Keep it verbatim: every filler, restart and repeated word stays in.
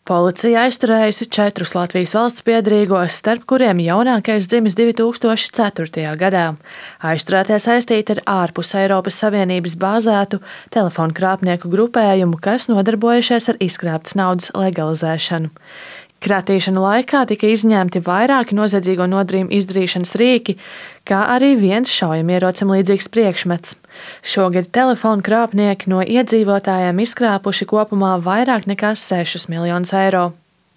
Policija aizturējusi četrus Latvijas valsts piederīgos, starp kuriem jaunākais dzimis divi tūkstoši ceturtajā gadā. Aizturētie saistīti ar ārpus Eiropas Savienības bāzētu telefonu krāpnieku grupējumu, kas nodarbojušies ar izkrāptas naudas legalizēšanu. Kratīšanu laikā tika izņemti vairāki noziedzīgo nodarījumu izdarīšanas rīki, kā arī viens šaujamierocim līdzīgs priekšmets. Šogad telefonu krāpnieki no iedzīvotājiem izkrāpuši kopumā vairāk nekā sešus miljonus eiro.